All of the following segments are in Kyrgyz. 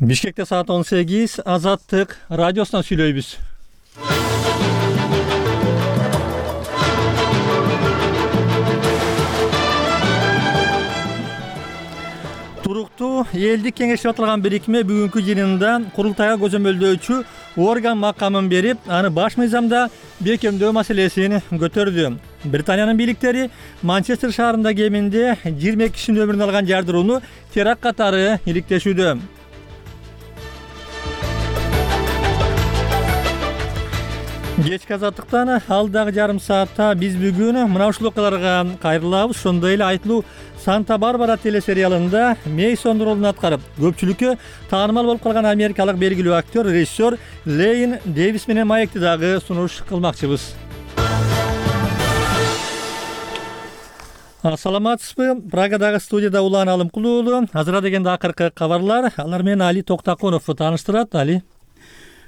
Бишкекте саат 18, Азаттык радиосунан сүйлөйбүз. Туруктуу элдик кеңеш деп аталган бирикме бүгүнкү жыйынында курултайга көзөмөлдөөчү орган макамын берип, аны баш мыйзамда бекемдөө маселесин көтөрдү. Британиянын бийликтери Манчестер шаарында кеминде 22 кишинин өмүрүн алган жардырууну теракт катары иликтешүүдө. Кечки Азаттыктан алдагы жарым саатта биз бүгүн мына ушул окуяларга кайрылабыз. Ошондой эле айтылуу Санта-Барбара телесериалында Мейсон ролун аткарып, көпчүлүккө таанымал болуп калган америкалык белгилүү актер, режиссер Лейн Дэвис менен маекти дагы сунуш кылмакчыбыз. Саламатсызбы? Прагадагы студияда Улан Алымкулуу уулу. Азыра дегенде акыркы кабарлар. Алар менен Али Токтакунов тааныштырат. Али.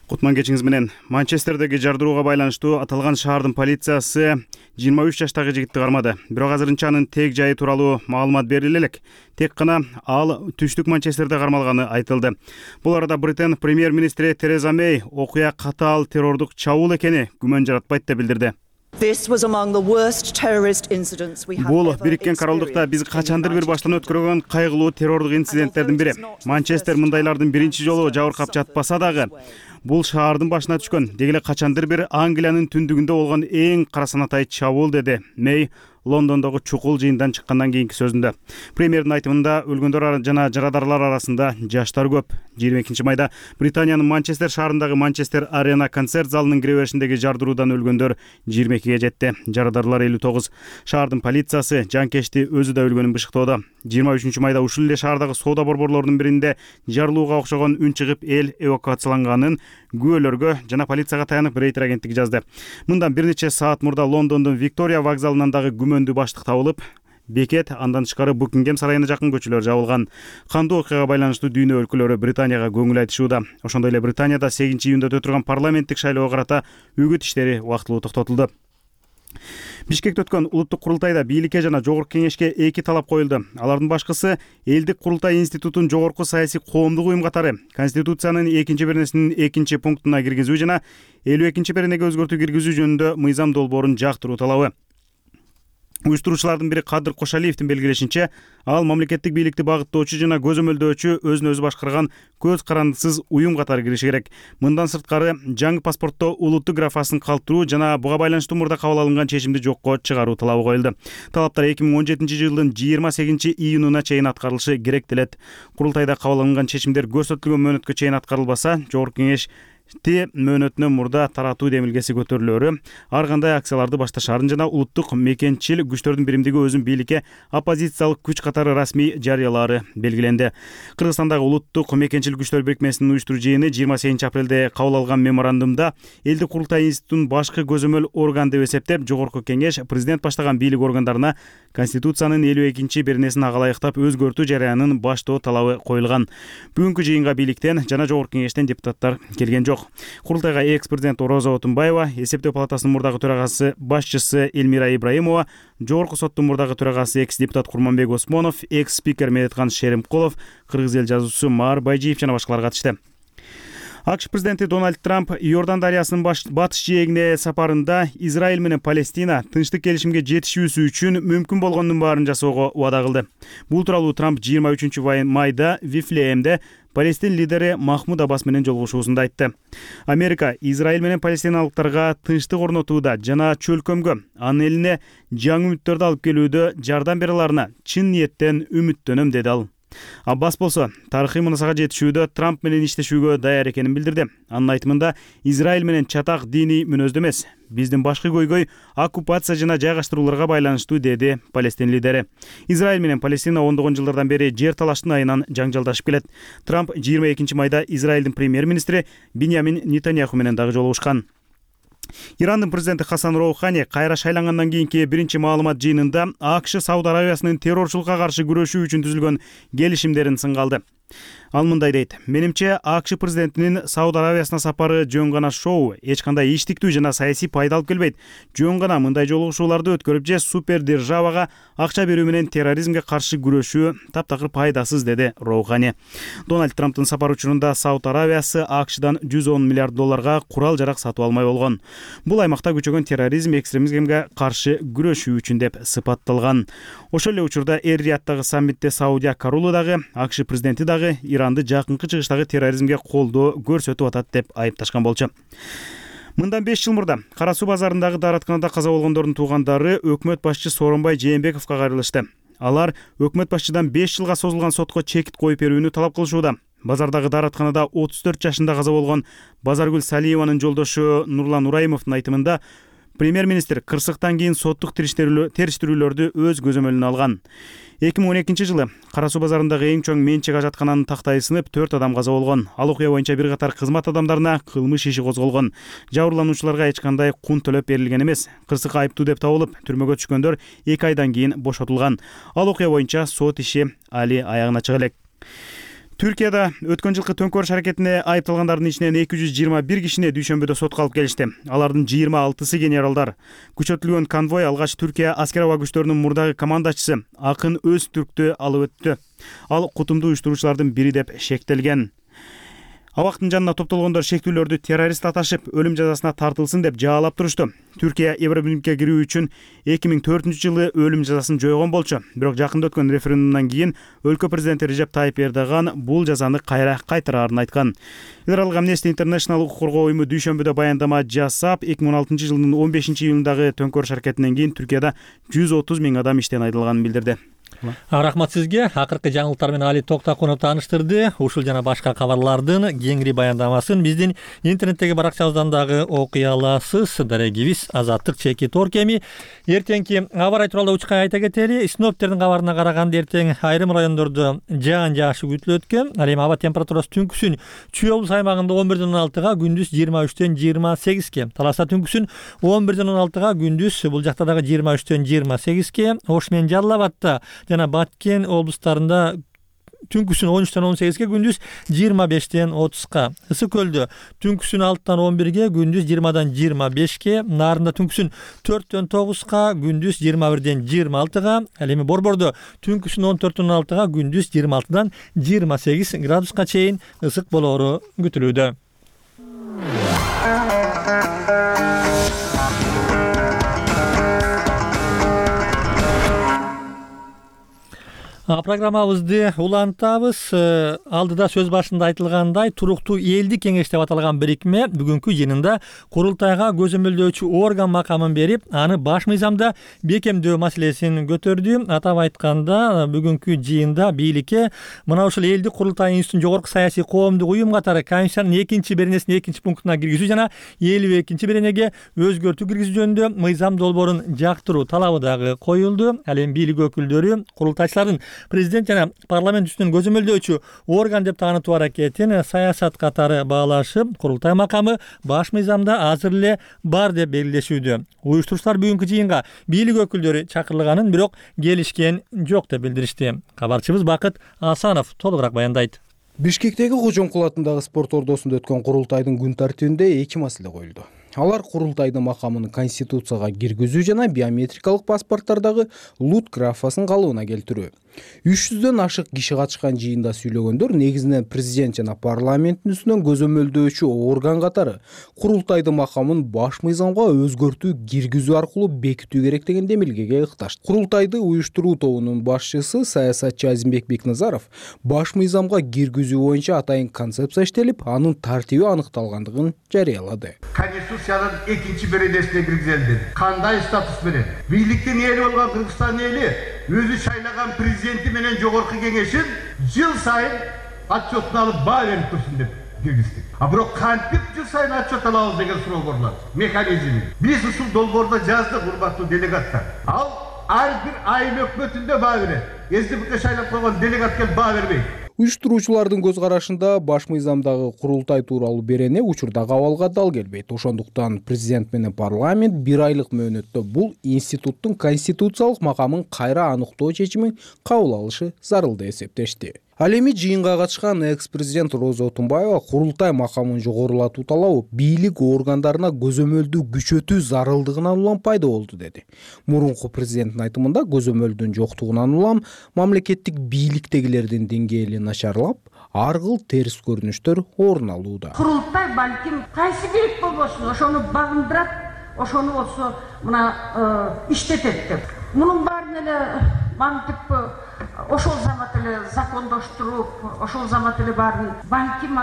Кутман кечиңиз менен. Манчестердеги жардырууга байланыштуу аталган шаардын полициясы 23 жаштагы жигитти кармады. Бирок азырынча анын тег жайы тууралуу маалымат бериле элек. Тек гана ал түштүк Манчестерде кармалганы айтылды. Бул арада Британ премьер-министри Тереза Мэй окуя катаал террордук чабуул экени күмөн жаратпайт деп билдирди. Бул Бириккен Королдукта биз качандыр бир баштан өткөргөн кайгылуу террордук инциденттердин бири. Манчестер мындайлардын биринчи жолу жабыркап жатпаса дагы, бул шаардын башына түшкөн, деги эле качандыр бир Англиянын түндүгүндө болгон эң карасанатай чабуул, деди Мэй Лондондогу чукул жыйындан чыккандан кийинки сөзүндө. Премьердин айтымында өлгөндөр жана жарадарлар арасында жаштар көп. 22 майда Британиянын Манчестер шаарындагы Манчестер Арена концерт залынын кире беришиндеги жардыруудан өлгөндөр 22-ге жетти. Жарадарлар 59. Шаардын полициясы жанкечти өзү да өлгөнүн бышыктоодо. 23 майда ушул эле шаардагы соода борборлорунун биринде жарылууга окшогон үн чыгып эл эвакуацияланганын күбөлөргө жана полицияга таянып Рейтер агенттиги жазды. Мындан бир нече саат мурда Лондондун Виктория вокзалынан дагы күмөндүү баштык табылып, бекет андан тышкары Букингем сарайына жакын көчөлөр жабылган. Кандуу окуяга байланыштуу дүйнө өлкөлөрү Британияга көңүл айтышууда. Ошондой эле Британияда 8-июнда өтө турган парламенттик шайлоого карата үгүт иштери убактылуу токтотулду. Бишкекте өткөн улуттук курултайда бийликке жана жогорку кеңешке эки талап коюлду. Алардын башкысы элдик курултай институтун жогорку саясий коомдук уюм катары Конституциянын 2-беренесинин 2-пунктуна киргизүү жана 52-беренеге өзгөртүү киргизүү жөнүндө мыйзам долбоорун жактыруу талабы. Уюштуруучулардын бири Кадыр Кошалиевдин белгилешинче, ал мамлекеттик бийликти багыттоочу жана көзөмөлдөөчү өзүн өзү башкарган көз карандысыз уюм катары кириши керек. Мындан сырткары жаңы паспортто улуттук графасын калтыруу жана буга байланыштуу мурда кабыл алынган чечимди жокко чыгаруу талабы коюлду. Талаптар 2017-жылдын 28-июнуна чейин аткарылышы керек делет. Курултайда кабыл алынган чечимдер көрсөтүлгөн мөөнөткө чейин аткарылбаса, жогорку кеңеш мөөнөтүнө мурда таратуу демилгеси көтөрүлөрү, ар кандай акцияларды башташаарын жана улуттук мекенчил күчтөрдүн биримдиги өзүн бийликке оппозициялык күч катары расмий жарыялаары белгиленди. Кыргызстандагы улуттук мекенчил күчтөр бирикмесинин уюштуруу жыйыны 28 апрелде кабыл алган меморандумда элдик курултай институтун башкы көзөмөл орган деп эсептеп, жогорку кеңеш президент баштаган бийлик органдарына Конституциянын 52-беренесин ага ылайыктап өзгөртүү жарыянын баштоо талабы коюлган. Бүгүнкү жыйынга бийликтен жана жогорку кеңештен депутаттар келген жок. Курултайга экс-президент Роза Отунбаева, эсептөө палатасынын мурдагы төрагасы башчысы Элмира Ибраимова, жогорку соттун мурдагы төрагасы экс-депутат Курманбек Осмонов, экс-спикер Медеткан Шеримкулов, кыргыз эл жазуучусу Маар Байжиев жана башкалар катышты. АКШ президенти Дональд Трамп Иордан дарыясынын батыш жээгине сапарында Израиль менен Палестина тынчтык келишимге жетишүүсү үчүн мүмкүн болгондун баарын жасоого убада кылды. Бул тууралуу Трамп 23 майда Вифлеемде Палестин лидери Махмуд Аббас менен жолугушуусунда айтты. Америка Израиль менен палестиналыктарга тынчтык орнотууда жана чөлкөмгө, анын элине жаңы үмүттөрдү алып келүүдө жардам бере аларына чын ниеттен үмүттөнөм, деди ал. Аббас болсо тарыхый мунасага жетишүүдө Трамп менен иштешүүгө даяр экенин билдирди. Анын айтымында Израиль менен чатак диний мүнөздө эмес, биздин башкы көйгөй оккупация жана жайгаштырууларга байланыштуу, деди Палестин лидери. Израиль менен Палестина ондогон жылдардан бери жер талаштын айынан жаңжалдашып келет. Трамп 22 майда Израилдин премьер-министри Биньямин Нетаньяху менен дагы жолугушкан. Ирандын президенти Хасан Роухани кайра шайлангандан кийинки биринчи маалымат жыйынында АКШ Сауд Арабиясынын террорчулукка каршы күрөшүү үчүн түзүлгөн келишимдерин сынга алды. Ал мындай дейт: менимче АКШ президентинин Сауд Аравиясына сапары жөн гана шоу, эч кандай иштиктүү жана саясий пайда алып келбейт. Жөн гана мындай жолугушууларды өткөрүп же супер державага акча берүү менен терроризмге каршы күрөшүү таптакыр пайдасыз, деди Роухани. Дональд Трамптын сапары учурунда Сауд Аравиясы АКШдан $110 миллиард курал жарак сатып алмай болгон. Бул аймакта күчөгөн терроризм, экстремизмге каршы күрөшүү үчүн деп сыпатталган. Ошол эле учурда Эр-Рияттагы саммитте Саудия королу дагы, АКШ президенти дагы Иранды жакынкы чыгыштагы терроризмге колдоо көрсөтүп атат деп айыпташкан болчу. Мындан 5 жыл мурда Кара суу базарындагы дааратканада каза болгондордун туугандары өкмөт башчы Сооронбай Жээнбековго кайрылышты. Алар өкмөт башчыдан 5 жылга созулган сотко чекит коюп берүүнү талап кылышууда. Базардагы дааратканада 34 жашында каза болгон Базаргүл Салиеванын жолдошу Нурлан Ураймовдун айтымында премьер-министр кырсыктан кийин соттук териштирүүлөрдү өз көзөмөлүнө алган. 2012 жылы Кара суу базарындагы эң чоң менчик ажаткананын тактайы сынып 4 адам каза болгон. Ал окуя боюнча бир катар кызмат адамдарына кылмыш иши козголгон. Жабырлануучуларга эч кандай кун төлөп берилген эмес. Кырсыкка айыптуу деп табылып, түрмөгө түшкөндөр 2 айдан кийин бошотулган. Ал окуя боюнча сот иши али аягына чыга элек. Түркияда өткөн жылкы төңкөрүш аракетине айыпталгандардын ичинен 221 кишини дүйшөмбүдө сотко алып келишти. Алардын 26-сы генералдар. Күчөтүлгөн конвой алгач Түркия аскер аба күчтөрүнүн мурдагы командачысы Акын Өзтүрктү алып өттү. Ал кутумдуу уюштуруучулардын бири деп шектелген. Абактын жанына топтолгондор шектүүлөрдү террорист аташып, өлүм жазасына тартылсын деп жаалап турушту. Түркия Евробиримге кирүү үчүн 2004 жылы өлүм жазасын жойгон болчу. Бирок жакында өткөн референдумдан кийин өлкө президенти Режеп Тайип Эрдоган бул жазаны кайра кайтараарын айткан. Федералдык Amnesty International укук коргоо уюму дүйшөмбүдө баяндама жасап, 2016 жылдын 15 июлундагы төңкөрүш аракетинен кийин Түркияда 130 000 адам иштен айдалганын билдирди. Рахмат сизге. Акыркы жаңылыктар менен Али Токтакунов тааныштырды. Ушул жана башка кабарлардын кеңири баяндамасын биздин интернеттеги баракчабыздан дагы окуй аласыз. Дарегибиз Азаттык /Tor кеми. Эртеңки аба ырайы тууралуу учкай айта кетели. Синоптиктердин кабарына караганда эртең айрым райондордо жаан жаашы күтүлөт экен. Ал эми аба температурасы түнкүсүн Чүй облус аймагында 11-ден 16-га, күндүз 23-тен 28-ге. Таласта түнкүсүн 11-ден 16-га, күндүз бул жакта дагы 23-тен 28-ге. Ош менен Жалал Абадта жана Баткен облустарында түнкүсүн 13-тен 18-ге, күндүз 25-тен 30-га. Ысык көлдө түнкүсүн 6-тан 11-ге, күндүз 20-дан 25-ге. Нарында түнкүсүн 4-тен 9-га, күндүз 21-ден 26-га. Ал эми Борбордо түнкүсүн 14-тен 16-га, күндүз 26-дан 28 градуска чейин ысык болоору күтүлүүдө. Программабызды улантабыз. Алдыда сөз башында айтылгандай, туруктуу элдик кеңеш деп аталган бирикме бүгүнкү жыйынында курултайга көзөмөлдөөчү орган макамын берип, аны баш мыйзамда бекемдөө маселесин көтөрдү. Атап айтканда, бүгүнкү жыйында бийликке мына ушул элдик курултай институтун жогорку саясий коомдук уюм катары Конституциянын 2-беренесинин 2-пунктуна киргизүү жана 52-беренеге өзгөртүү киргизүү жөнүндө мыйзам долбоорун жактыруу талабы дагы коюлду. Ал эми бийлик өкүлдөрү курултайчылардын президент жана парламент үстүнөн көзөмөлдөөчү орган деп таанытуу аракетин саясат катары баалашып, курултай макамы баш мыйзамда азыр эле бар деп белгилешүүдө. Уюштуруучулар бүгүнкү жыйынга бийлик өкүлдөрү чакырылганын, бирок келишкен жок деп билдиришти. Кабарчыбыз Бакыт Асанов толугураак баяндайт. Бишкектеги Кожомкул атындагы спорт ордосунда өткөн курултайдын күн тартибинде 2 маселе коюлду. Алар курултайдын макамын конституцияга киргизүү жана биометрикалык паспорттардагы лут графасын калыбына келтирүү. 300дөн ашык киши катышкан жыйында сүйлөгөндөр негизинен президент жана парламенттин үстүнөн көзөмөлдөөчү орган катары курултайдын макамын баш мыйзамга өзгөртүү киргизүү аркылуу бекитүү керек деген демилгеге ыкташты. Курултайды уюштуруу тобунун башчысы саясатчы Азимбек Бекназаров баш мыйзамга киргизүү боюнча атайын концепция иштелип, анын тартиби аныкталгандыгын жарыялады. Конституциянын 2-беренесине киргизилди. Кандай статус менен? Бийликтин эли болгон Кыргызстан эли өзү шайлаган президенти менен жогорку кеңешин жыл сайын отчетун алып баа берип турсун деп киргиздик. А бирок кантип жыл сайын отчет алабыз деген суроо көрүлөт. Механизми. Биз ушул долбоордо жаздык, урматтуу делегаттар. Ал ар бир айыл өкмөтүндө баа берет. СДПК шайлап койгон делегат келип баа бербейт. Уюштуруучулардын көз карашында баш мыйзамдагы курултай тууралуу берене учурда кабалга дал келбейт. Ошондуктан президент менен парламент 1 айлык мөөнөттө бул институттун конституциялык макамын кайра аныктоо чечимин кабыл алышы зарыл деп эсептешти. Ал эми жыйынга катышкан экс-президент Роза Отунбаева курултай макамын жогорулатуу талабы бийлик органдарына көзөмөлдү күчөтүү зарылдыгынан улам пайда болду деди. Мурунку президенттин айтымында көзөмөлдүн жоктугунан улам мамлекеттик бийликтегилердин деңгээли начарлап, ар кыл терс көрүнүштөр орун алууда. Курултай балким кайсы бийлик болбосун, ошону багындырат, ошону болсо мына иштетет деп. Мунун баарын эле мантип ошол замат эле закондоштуруп, ошол замат эле баарын балким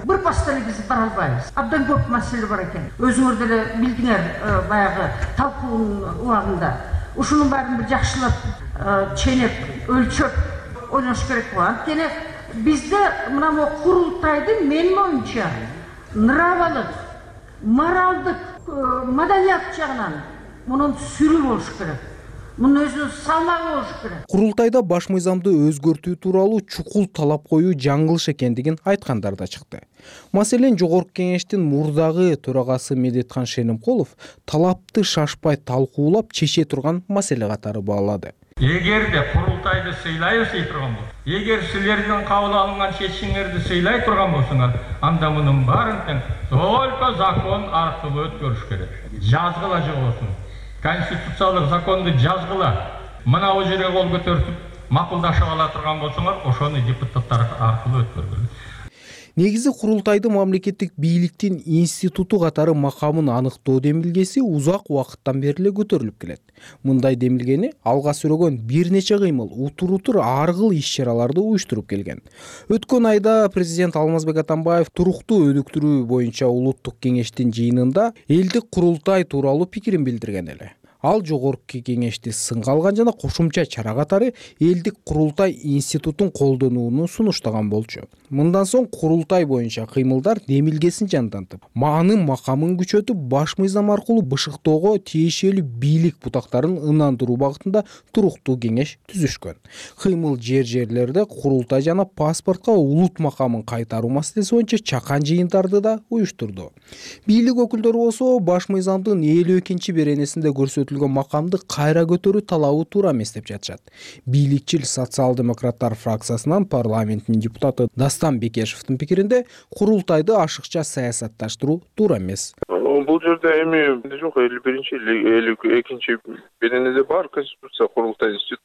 бир паста эле биз бара албайбыз. Абдан көп маселе бар экен. Өзүңөр деле билдиңер баягы талкуунун убагында. Ушунун баарын бир жакшылап, ченеп, өлчөп ойнош керек го. Анткени бизде мына курултайдын менин оюмча нравалык, моралдык, маданият жагынан мунун сүрү болуш керек. Мунун өзүнүн салмагы болуш керек. Курултайда баш мыйзамды өзгөртүү тууралуу чукул талап коюу жаңылыш экендигин айткандар да чыкты. Маселен, Жогорку Кеңештин мурдагы төрагасы Медетхан Шенимкулов талапты шашпай талкуулап чече турган маселе катары баалады. Эгерде курултайды сыйлайбыз дей турган болсо, эгер силердин кабыл алынган чечимиңерди сыйлай турган болсоңор, анда мунун баарын тең только закон аркылуу өткөрүш керек. Жазгыла же болсун. Конституциялык законду жазгыла. Мына бул жерге кол көтөрүп макулдашып ала турган болсоңор, ошону депутаттар аркылуу өткөргүлө. Негизи курултайды мамлекеттик бийликтин институту катары макамын аныктоо демилгеси узак убакыттан бери эле көтөрүлүп келет. Мындай демилгени алга сүрөгөн бир нече кыймыл, утур ар кыл иш-чараларды уюштуруп келген. Өткөн айда президент Алмазбек Атамбаев туруктуу өнүктүрүү боюнча улуттук кеңештин жыйынында элдик курултай тууралуу пикирин билдирген эле. Ал Жогорку Кеңешти сынга алган жана кошумча чара катары элдик курултай институтун колдонууну сунуштаган болчу. Мындан соң курултай боюнча кыймылдар демилгесин жандантып, маанын макамын күчөтүп, баш мыйзам аркылуу бышыктоого тиешелүү бийлик бутактарын ынандыруу багытында туруктуу кеңеш түзүшкөн. Кыймыл жерлерде курултай жана паспортко улут макамын кайтаруу маселеси боюнча чакан жыйындарды да уюштурду. Бийлик өкүлдөрү болсо баш мыйзамдын 52-чи беренесинде көрсөтүлгөн макамды кайра көтөрүү талабы туура эмес деп жатышат. Бийликчил социал-демократтар фракциясынан парламенттин депутаты Дастан Бекешевдин пикиринде курултайды ашыкча саясатташтыруу туура эмес. Бул жерде эми жок, 51-чи 52-чи беренеде бар конституция курултай институту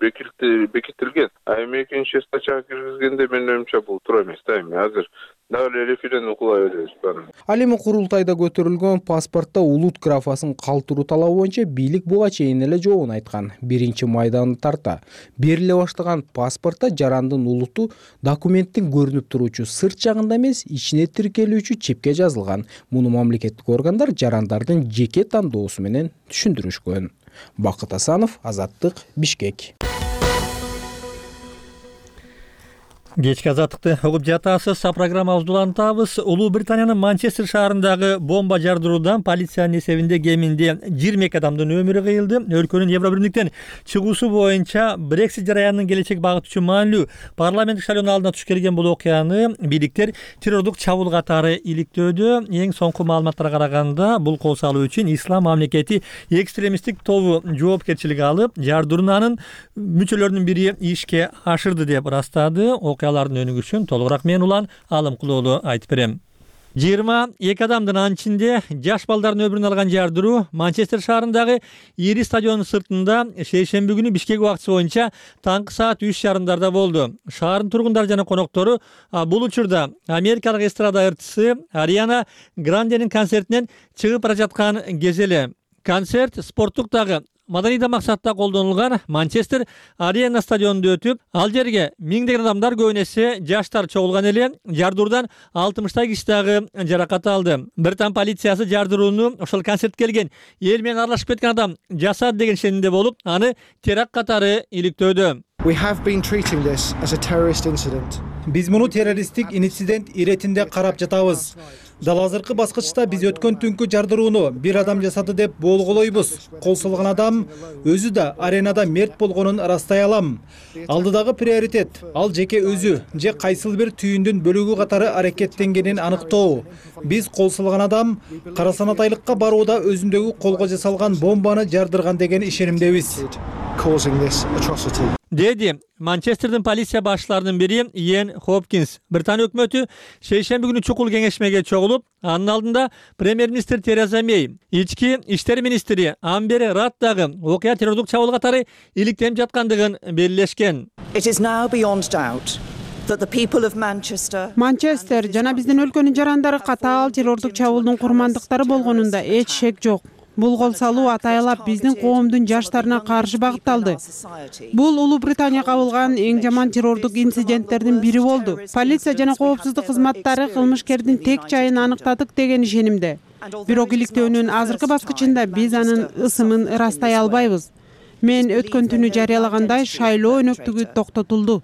бекитилген. А эми экинчи статьяга киргизгенде менин оюмча бул туура эмес да. Эми азыр дагы референдум кыла беребиз баарын. Ал эми курултайда көтөрүлгөн паспортто улут графасын калтыруу талабы боюнча бийлик буга чейин эле жообун айткан. 1-майданы тарта бериле баштаган паспортто жарандын улуту документтин көрүнүп туруучу сырт жагында эмес, ичине тиркелүүчү чипке жазылган. Муну мамлекеттик органдар жарандардын жеке тандоосу менен түшүндүрүшкөн. Бакыт Асанов, Азаттык, Бишкек. Кечки азаттыкты угуп жатасыз. Программабызды улантабыз. Улуу Британиянын Манчестер шаарындагы бомба жардыруудан полициянын эсебинде кеминде 22 адамдын өмүрү кыйылды. Өлкөнүн Евробиримдиктен чыгуусу боюнча Brexit жараянынын келечек багыты үчүн маанилүү парламенттик шайлоонун алдына туш келген бул окуяны бийликтер террордук чабуул катары иликтөөдө. Эң соңку маалыматтарга караганда бул кол салуу үчүн Ислам мамлекети экстремисттик тобу жоопкерчилик алып, жардыруунун мүчөлөрүнүн бири ишке ашырды деп ырастады. Окуялардын өнүгүшүн толугураак мен Улан Алымкулоолу айтып берем. 22 адамдын анчинде жаш балдардын өмүрүн алган жардыруу Манчестер шаарындагы ири стадиондун сыртында шейшемби күнү Бишкек убактысы боюнча таңкы саат 3:30 болду. Шаардын тургундары жана коноктору бул учурда америкалык эстрада ырчысы Ариана Гранденин концертинен чыгып бара жаткан кез эле. Концерт спорттук дагы маданий да максатта колдонулган Манчестер Арена стадионунда өтүп, ал жерге миңдеген адамдар, көбүнесе жаштар чогулган эле. Жардыруудан 60 киши дагы жаракат алды. Британ полициясы жардырууну ошол концертке келген эл менен аралашып кеткен адам жасады деген ишенимде болуп, аны теракт катары иликтөөдө. Биз муну террористтик инцидент иретинде карап жатабыз. Дал азыркы баскычта биз өткөн түнкү жардырууну бир адам жасады деп болголойбуз. Кол салган адам өзү да аренада мерт болгонун ырастай алам. Алдыдагы приоритет ал жеке өзү же кайсыл бир түйүндүн бөлүгү катары аракеттенгенин аныктоо. Биз кол салган адам кара санатайлыкка барууда өзүндөгү колго жасалган бомбаны жардырган деген ишенимдебиз. causing this atrocity. Dedi Manchester'dин полиция башчыларынын бири Иэн Хопкинс. Британия өкмөтү шейшемби күнү чукул кеңешмеге чогулуп, анын алдында премьер-министр Тереза Мей, ички иштер министри Амбер Рад дагы окуя террордук чабуул катары иликтенип жаткандыгын белгилешкен. Манчестер жана биздин өлкөнүн жарандары катаал террордук чабуулдун курмандыктары болгонунда эч шек жок. Бул кол салуу атайылап биздин коомдун жаштарына каршы багытталды. Бул Улуу Британия кабылган эң жаман террордук инциденттердин бири болду. Полиция жана коопсуздук кызматтары кылмышкердин тек жайын аныктадык деген ишенимде. Бирок иликтөөнүн азыркы баскычында биз анын ысымын ырастай албайбыз. Мен өткөн түнү жарыялагандай шайлоо өнөктүгү токтотулду.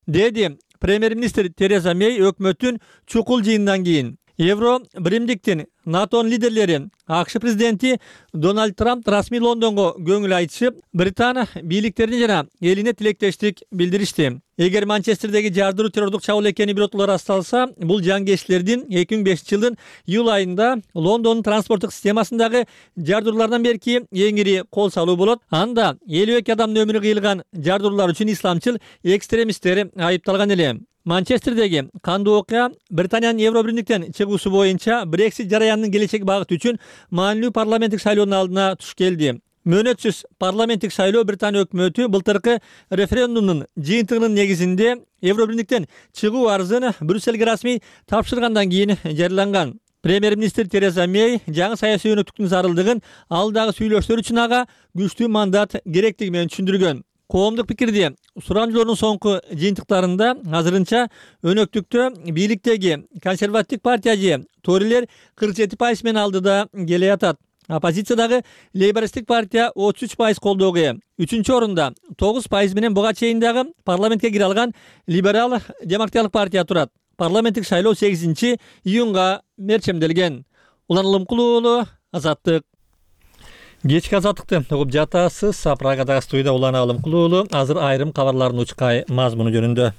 Деди премьер-министр Тереза Мей өкмөттүн чукул жыйындан кийин. Евро биримдиктин НАТОнун лидерлери АКШ президенти Дональд Трамп расмий Лондонго көңүл айтышып, Британия бийликтерине жана элине тилектештик билдиришти. Эгер Манчестердеги жардыруу террордук чабуул экени биротулар расталса, бул жангечлердин 2005-жылдын июль айында Лондондун транспорттук системасындагы жардыруулардан берки эң ири кол салуу болот. Анда 52 адамдын өмүрү кыйылган жардыруулар үчүн исламчыл экстремисттер айыпталган эле. Манчестердеги кандуу окуя Британиянын Евро биримдиктен чыгуусу боюнча Брексит жараянынын келечек багыты үчүн маанилүү парламенттик шайлоонун алдына туш келди. Мөөнөтсүз парламенттик шайлоо Британия өкмөтү былтыркы референдумдун жыйынтыгынын негизинде Евро биримдиктен чыгуу арызын Брюссельге расмий тапшыргандан кийин жарыяланган. Премьер-министр Тереза Мей жаңы саясий өнөктүктүн зарылдыгын алдагы сүйлөштөр үчүн ага күчтүү мандат керектиги менен түшүндүргөн. Коомдук пикирди сурамжылоонун соңку жыйынтыктарында азырынча өнөктүктө бийликтеги консервативдик партия же Торилер 47% менен алдыда келе жатат. Оппозициядагы лейбористтик партия 33% колдоого ээ. 3-чү орунда 9% менен буга чейин дагы парламентке кире алган либерал демократиялык партия турат. Парламенттик шайлоо 8-июнга мерчемделген. Улан Улумкулуу уулу, Азаттык. Кечки азаттыкты угуп жатасыз. Прагадагы студияда Улан Улумкулуу уулу. Азыр айрым кабарлардын учкай мазмуну жөнүндө.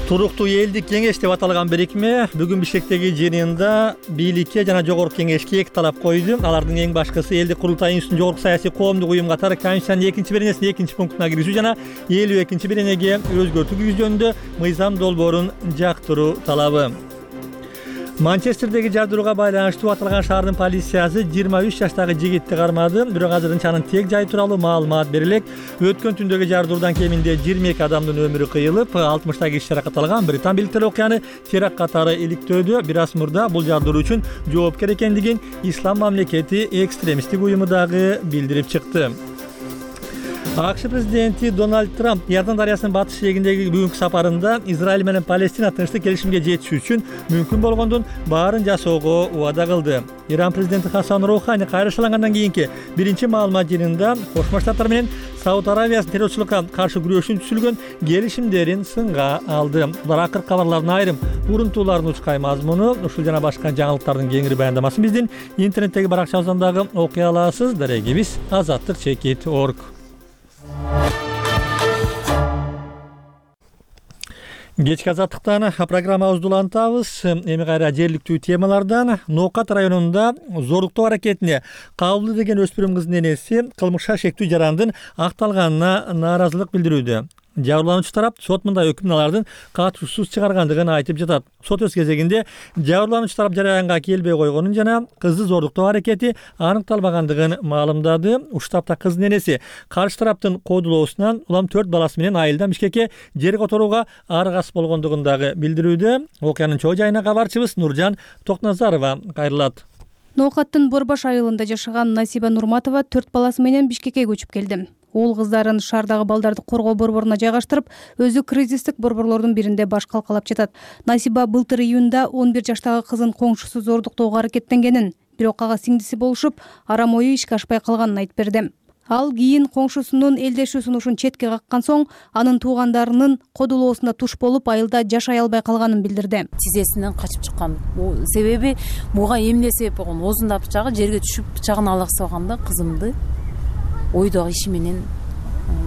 Туруктуу элдик кеңеш деп аталган бирикме бүгүн Бишкектеги жыйынында бийликке жана жогорку кеңешке эки талап койду. Алардын эң башкысы элдик курултай институтун жогорку саясий коомдук уюм катары Конституциянын 2-беренесинин 2-пунктуна киргизүү жана 52-беренеге өзгөртүү киргизүү жөнүндө мыйзам долбоорун жактыруу талабы. Манчестердеги жардырууга байланыштуу аталган шаардын полициясы 23 жаштагы жигитти кармады, бирок азырынча анын тек жайы тууралуу маалымат берилек. Өткөн түндөгү жардыруудан кеминде 22 адамдын өмүрү кыйылып, 60 киши жаракат алган. Британ бийликтери окуяны теракт катары иликтөөдө. Бир аз мурда бул жардыруу үчүн жоопкер экендигин Ислам мамлекети экстремисттик уюму дагы билдирип чыкты. АКШ президенти Дональд Трамп Иордан дарыясынын батыш жээгиндеги бүгүнкү сапарында Израиль менен Палестина тынчтык келишимге жетишүү үчүн мүмкүн болгондун баарын жасоого убада кылды. Иран президенти Хасан Роухани кайрылышкандан кийинки биринчи маалымат жыйынында Кошмо Штаттар менен Сауд Аравиясынын террорчулукка каршы күрөшүү үчүн түзүлгөн келишимдерин сынга алды. Булар акыркы кабарлардын айрым урунтууларынын учкай мазмуну. Ушул жана башка жаңылыктардын кеңири баяндамасын биздин интернеттеги баракчабыздан дагы окуй аласыз. Дарегибиз azattik.org. Кечки азаттыктан программабызды улантабыз. Эми кайра жергиликтүү темалардан. Ноокат районунда зордуктоо аракетине кабылды деген өспүрүм кыздын энеси кылмышка шектүү жарандын акталганына нааразылык билдирүүдө. Жабырлануучу тарап сот мындай өкүмдү алардын катышуусуз чыгаргандыгын айтып жатат. Сот өз кезегинде жабырлануучу тарап жараянга келбей койгонун жана кызды зордуктоо аракети аныкталбагандыгын маалымдады. Уштапта кыздын энеси каршы тараптын кодулоосунан улам 4 баласы менен айылдан Бишкекке жер которууга аргасыз болгондугун дагы билдирүүдө. Окуянын чоо жайына кабарчыбыз Нуржан Токназарова кайрылат. Ноокаттын Борбаш айылында жашаган Насиба Нурматова 4 баласы менен Бишкекке көчүп келди. Уул кыздарын шаардагы балдарды коргоо борборуна жайгаштырып, өзү кризистик борборлордун биринде баш калкалап жатат. Насиба былтыр июнда 11 жаштагы кызын коңшусу зордуктоого аракеттенгенин, бирок ага сиңдиси болушуп, арам ою ишке ашпай калганын айтып берди. Ал кийин коңшусунун элдешүү сунушун четке каккан соң, анын туугандарынын кодулоосуна туш болуп, айылда жашай албай калганын билдирди. Тизесинен качып чыккан. Себеби буга эмне себеп болгон? Оозунда бычагы жерге түшүп, бычагын алаксыбаганда кызымды ойдогу иши менен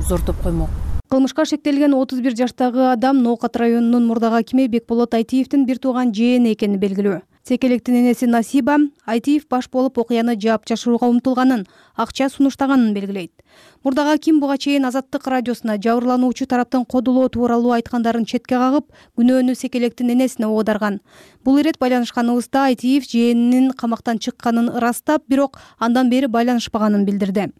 зордоп коймок. Кылмышка шектелген 31 жаштагы адам Ноокат районунун мурдагы акими Бекболот Айтиевдин бир тууган жээни экени белгилүү. Секелектин энеси Насиба Айтиев баш болуп окуяны жаап жашырууга умтулганын, акча сунуштаганын белгилейт. Мурдагы аким буга чейин Азаттык радиосуна жабырлануучу тараптын кодулоо тууралуу айткандарын четке кагып, күнөөнү Секелектин энесине оодарган. Бул ирет байланышканыбызда Айтиев жээнинин камактан чыкканын ырастап, бирок андан бери байланышпаганын билдирди.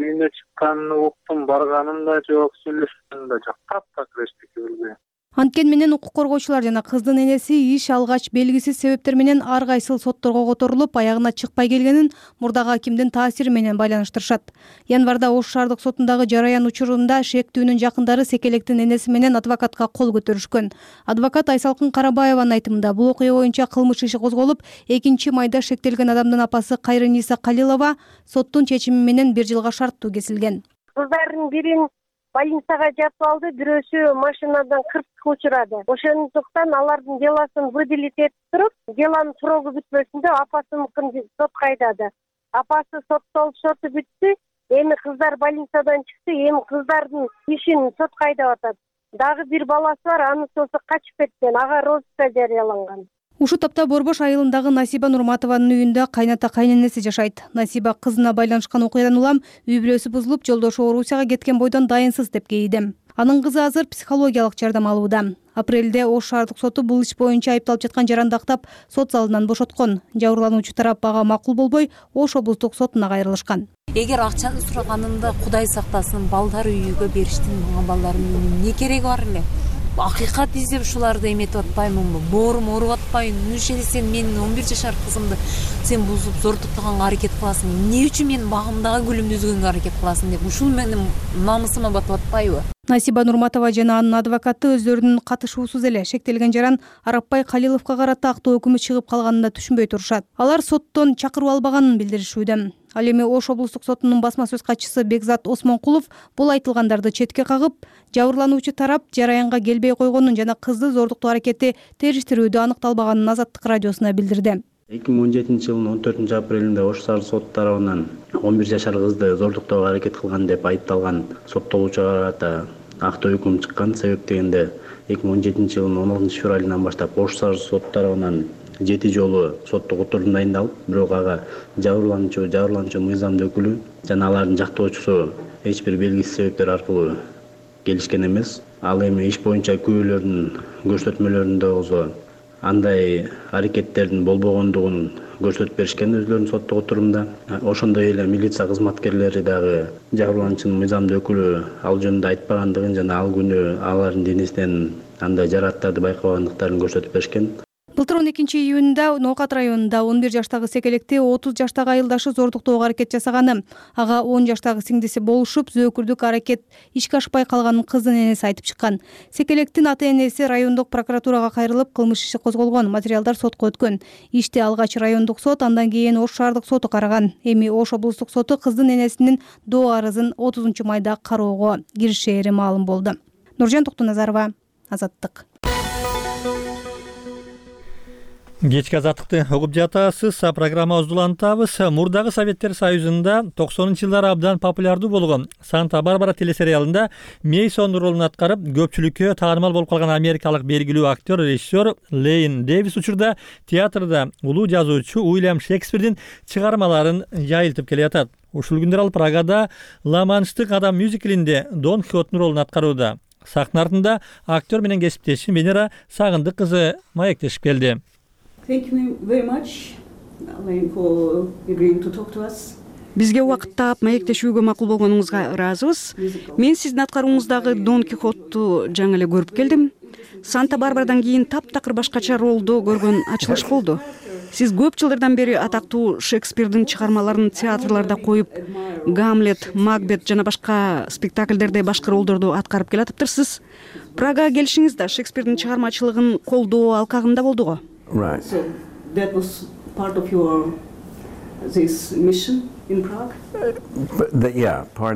Үйүнө чыкканын уктум, барганым да жок, сүйлөшкөнүм да жок. Таптак рештики билбейм. Анткени менен укук коргоочулар жана кыздын энеси иш алгач белгисиз себептер менен ар кайсыл сотторго которулуп, аягына чыкпай келгенин мурдагы акимдин таасири менен байланыштырышат. Январда Ош шаардык сотундагы жараян учурунда шектүүнүн жакындары Секелектин энеси менен адвокатка кол көтөрүшкөн. Адвокат Айсалкын Карабаеванын айтымында бул окуя боюнча кылмыш иши козголуп, 2-майда шектелген адамдын апасы Кайрыниса Калилова соттун чечими менен 1 жылга шарттуу кесилген. Кыздардын бирин больницага жатып алды, бирөөсү машинадан кырсыкка учурады. Ошондуктан алардын делосын выделить этип туруп, делонун срогу бүтпөсүндө апасыныкын сотко айдады. Апасы соттолуп, соту бүттү. Эми кыздар больницадан чыкты, эми кыздардын ишин сотко айдап атат. Дагы бир баласы бар, анын соосу качып кеткен, ага розыска жарыяланган. Ушул тапта Борбош айылындагы Насиба Нурматованын үйүндө кайната кайненеси жашайт. Насиба кызына байланышкан окуядан улам үй бүлөсү бузулуп, жолдошу Орусияга кеткен бойдон дайынсыз деп кейиди. Анын кызы азыр психологиялык жардам алууда. Апрелде Ош шаардык соту бул иш боюнча айыпталып жаткан жаранды актап, сот залынан бошоткон. Жабырлануучу тарап ага макул болбой, Ош облустук сотуна кайрылышкан. Эгер акчаны сураганымда Кудай сактасын, балдар үйүгө бериштин, мага балдарымдын эмне кереги бар эле? Акыйкат издеп ушуларды эметип атпаймынбы? Боорум ооруп атпайбы? Нуче сен менин 11 жашар кызымды сен бузуп зортуктаганга аракет кыласың? Эмне үчүн менин багымдагы гүлүмдү үзгөнгө аракет кыласың деп ушул менин намысыма батып атпайбы? Насиба Нурматова жана анын адвокаты өздөрүнүн катышуусуз эле шектелген жаран Арапбай Калиловго карата актоо өкүмү чыгып калганын да түшүнбөй турушат. Алар соттон чакырып албаганын билдиришүүдө. Ал эми Ош облустук сотунун басма сөз катчысы Бекзат Осмонкулов бул айтылгандарды четке кагып, жабырлануучу тарап жараянга келбей койгонун жана кызды зордуктоо аракети териштирүүдө аныкталбаганын Азаттык радиосуна билдирди. 2017-жылдын 14 апрелинде Ош шаар соты тарабынан 11 жашар кызды зордуктоого аракет кылган деп айыпталган соттолуучуга карата актоо өкүм чыккан. Себеп дегенде 2017-жылдын 16 февралынан баштап Ош шаар соты тарабынан 7 жолу соттук отурум дайындалып, бирок ага жабырлануучу мыйзамдуу өкүлү жана алардын жактоочусу эч бир белгисиз себептер аркылуу келишкен эмес. Ал эми иш боюнча күбөлөрдүн көрсөтмөлөрүндө болсо андай аракеттердин болбогондугун көрсөтүп беришкен өзлөрүнүн соттук отурумда. Ошондой эле милиция кызматкерлери дагы жабырлануучунун мыйзамдуу өкүлү ал жөнүндө айтпагандыгын жана ал күнү алардын денесинен андай жарааттарды байкабагандыктарын көрсөтүп беришкен. Былтыр 12-июнда Ноокат районунда 11 жаштагы Секелекти 30 жаштагы айылдашы зордуктоого аракет жасаганы, ага 10 жаштагы сиңдиси болушуп, зөөкүрдүк аракет ишке ашпай калганын кыздын энеси айтып чыккан. Секелектин ата-энеси райондук прокуратурага кайрылып, кылмыш иши козголгон, материалдар сотко өткөн. Ишти алгач райондук сот, андан кийин Ош шаардык соту караган. Эми Ош облустук соту кыздын энесинин доо арызын 30-майда кароого киришери маалым болду. Нуржан Токтоназарова, Азаттык. Кечки азаттыкты угуп жатасыз. Программа уздулантабыз. Мурдагы Советтер Союзунда 90-жылдары абдан популярдуу болгон Санта-Барбара телесериалында Мейсон ролун аткарып, көпчүлүккө таанымал болуп калган америкалык белгилүү актер, режиссер Лейн Дэвис учурда театрда улуу жазуучу Уильям Шекспирдин чыгармаларын жайылтып келе жатат. Ушул күндөр ал Прагада Ла-Манштык адам мюзиклинде Дон Кихоттун ролун аткарууда. Сахна артында актер менен кесиптешим Венера Сагындык кызы маектешип келди. Thank you very much, Alain, for agreeing to talk to us. Бизге убакыт таап маектешүүгө макул болгонуңузга ыраазыбыз. Мен сиздин аткаруңуздагы Дон Кихотту жаңы эле көрүп келдим. Санта-Барбарадан кийин таптакыр башкача ролдо көргөн ачылыш болду. Сиз көп жылдардан бери атактуу Шекспирдин чыгармаларын театрларда коюп, Гамлет, Макбет жана башка спектакльдерде башкы ролдорду аткарып келатыптырсыз. Прагага келишиңиз да Шекспирдин чыгармачылыгын колдоо алкагында болдуго? Right. So that was part of your this mission in Prague?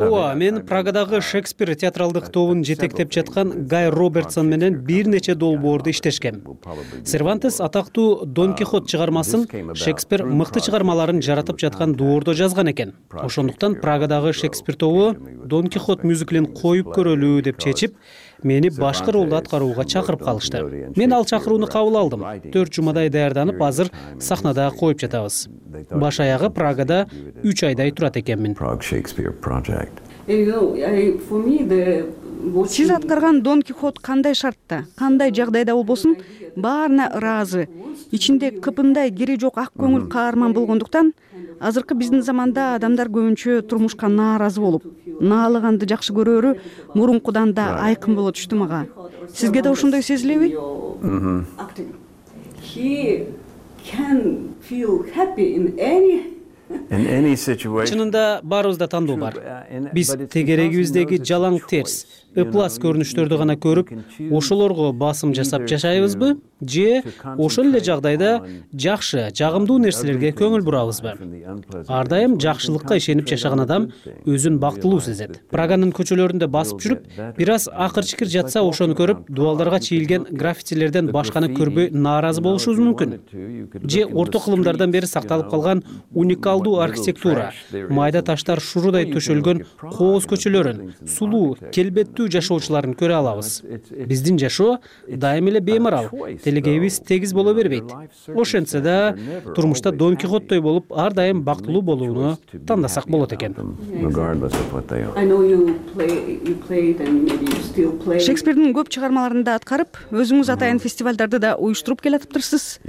ооба, мен Прагадагы Шекспир театралдык тобун жетектеп жаткан Гай Робертсон менен бир нече долбоорду иштешкем. Сервантес атактуу Дон Кихот чыгармасын Шекспир мыкты чыгармаларын жаратып жаткан доордо жазган экен. Ошондуктан Прагадагы Шекспир тобу Дон Кихот мюзиклин коюп көрөлү деп чечип, мени башкы ролду аткарууга чакырып калышты. Мен ал чакырууну кабыл алдым. 4 жумадай даярданып, азыр сахнада коюп жатабыз. Баш аягы Прагада 3 айдай турат экенмин. Сиз аткарган Дон Кихот кандай шартта, кандай жагдайда болбосун, баарына ыраазы. Ичинде кыпындай кири жок ак көңүл каарман болгондуктан, азыркы биздин заманда адамдар көбүнчө турмушка нааразы болуп, наалыганды жакшы көрөөрү мурункудан да айкын боло түштү мага. Сизге да ошондой сезилеби? He can feel happy in any Чынында баарыбызда тандоо бар. Биз тегерегибиздеги жалаң терс, ыплас көрүнүштөрдү гана көрүп, ошолорго басым жасап жашайбызбы, же ошол эле жагдайда жакшы, жагымдуу нерселерге көңүл бурабызбы? Ар дайым жакшылыкка ишенип жашаган адам өзүн бактылуу сезет. Праганын көчөлөрүндө басып жүрүп, бир аз акыр-чикир жатса, ошону көрүп, дубалдарга чийилген граффитилерден башканы көрбөй нааразы болушубуз мүмкүн. Же орто кылымдардан бери сакталып калган уникалдуу архитектура, майда таштар шурудай төшөлгөн кооз көчөлөрүн, сулуу, келбеттүү жашоочуларын көрө алабыз. Биздин жашоо дайым эле беймарал, телегейибиз тегиз боло бербейт. Ошентсе да, турмушта Дон Кихоттой болуп, ар дайым бактылуу болууну тандасак болот экен. Шекспирдин көп чыгармаларында аткарып, өзүңүз атайын фестивалдарды да уюштуруп келатыптырсыз.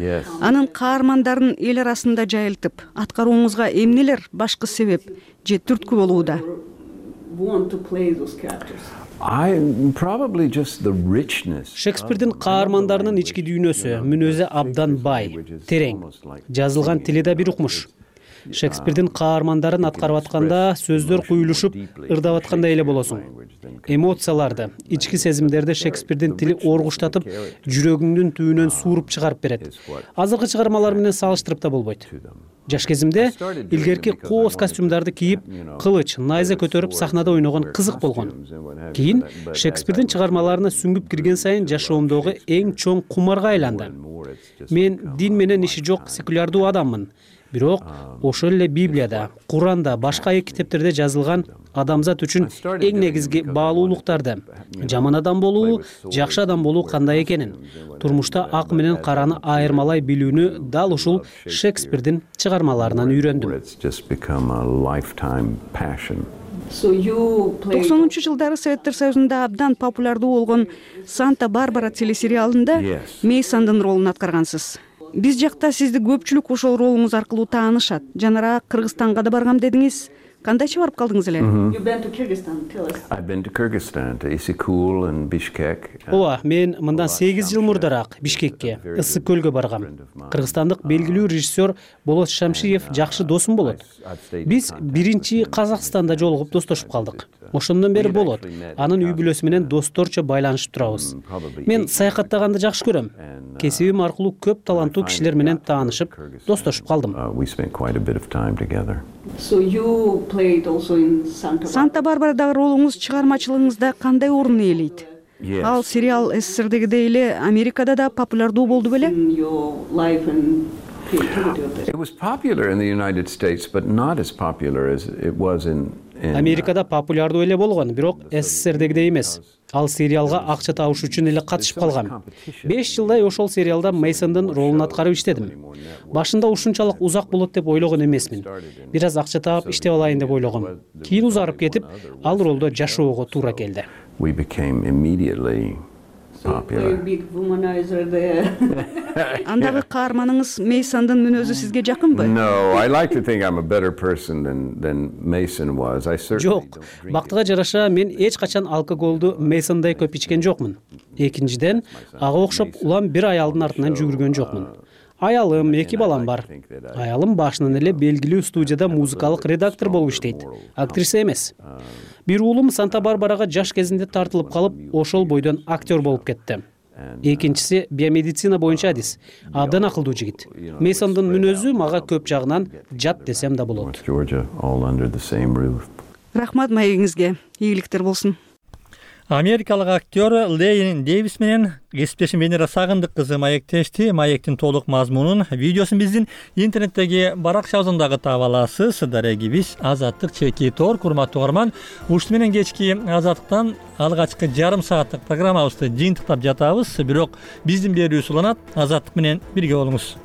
Анын каармандарын эл арасында жайылтып, аткарууңузга эмнелер башкы себеп же түрткү болууда? Шекспирдин каармандарынын ички дүйнөсү, мүнөзү абдан бай, терең. Жазылган тили да бир укмуш. Шекспирдин каармандарын аткарып атканда сөздөр куюлушуп, ырдап аткандай эле болосуң. Эмоцияларды, ички сезимдерди Шекспирдин тили оргуштатып, жүрөгүңдүн түбүнөн сууруп чыгарып берет. Азыркы чыгармалар менен салыштырып да болбойт. Жаш кезимде илгерки кооз костюмдарды кийип, кылыч, найза көтөрүп сахнада ойногон кызык болгон. Кийин Шекспирдин чыгармаларына сүңгүп кирген сайын жашоомдогу эң чоң кумарга айланды. Мен дин менен иши жок секулярдуу адаммын. Бирок ошол эле Библияда, Куранда, башка китептерде жазылган адамзат үчүн эң негизги баалуулуктарды, жаман адам болуу, жакшы адам болуу кандай экенин, турмушта ак менен караны айырмалай билүүнү дал ушул Шекспирдин чыгармаларынан үйрөндүм. 90-жылдары Советтер Союзунда абдан популярдуу болгон Санта-Барбара телесериалында Мейсондун ролун аткаргансыз. Биз жакта сизди көпчүлүк ошол ролуңуз аркылуу таанышат. Жанара Кыргызстанга да баргам дедиңиз. Кандайча барып калдыңыз эле? Ооба, мен мындан 8 жыл мурдараак Бишкекке, Ысык көлгө баргам. Кыргызстандык белгилүү режиссер Болот Шамшиев жакшы досум болот. Биз биринчи Казакстанда жолугуп достошуп калдык. Ошондон бери Болот анын үй бүлөсү менен досторчо байланышып турабыз. Мен саякаттаганды жакшы көрөм. Кесибим аркылуу көп таланттуу кишилер менен таанышып, достошуп калдым. Санта-Барбарадагы ролуңуз чыгармачылыгыңызда кандай орун ээлейт? Ал сериал СССРдегидей эле Америкада да популярдуу болду беле? Америкада популярдуу эле болгон, бирок СССРдегидей эмес. Ал сериалга акча табыш үчүн эле катышып калгам. 5 жылдай ошол сериалда Мейсондун ролун аткарып иштедим. Башында ушунчалык узак болот деп ойлогон эмесмин. Бир аз акча таап иштеп алайын деп ойлогом. Кийин узарып кетип, ал ролдо жашоого туура келди. Андагы каарманыңыз Мейсондун мүнөзү сизге жакынбы? Жок, бактыга жараша мен эч качан алкоголду Мейсондой көп ичкен жокмун. Экинчиден, ага окшоп улам бир аялдын артынан жүгүргөн жокмун. Аялым, 2 балам бар. Аялым башынан эле белгилүү студияда музыкалык редактор болуп иштейт, актриса эмес. Бир уулум Санта-Барбарага жаш кезинде тартылып калып, ошол бойдон актер болуп кетти. экинчиси биомедицина боюнча адис. Абдан акылдуу жигит. Мейсондун мүнөзү мага көп жагынан жат десем да болот. Рахмат маегиңизге. Ийгиликтер болсун. Америкалык актер Лейн Дэвис менен кесиптешим Венера Сагындык кызы маектешти. Маектин толук мазмунун, видеосун биздин интернеттеги баракчабыздан таап аласыз. Дарегибиз Азаттык чеки тор. Курматтуу угарман, ушуну менен кечки Азаттыктан алгачкы жарым сааттык программабызды жыйынтыктап жатабыз. Бирок биздин берүүбүз уланат. Азаттык менен бирге болуңуз.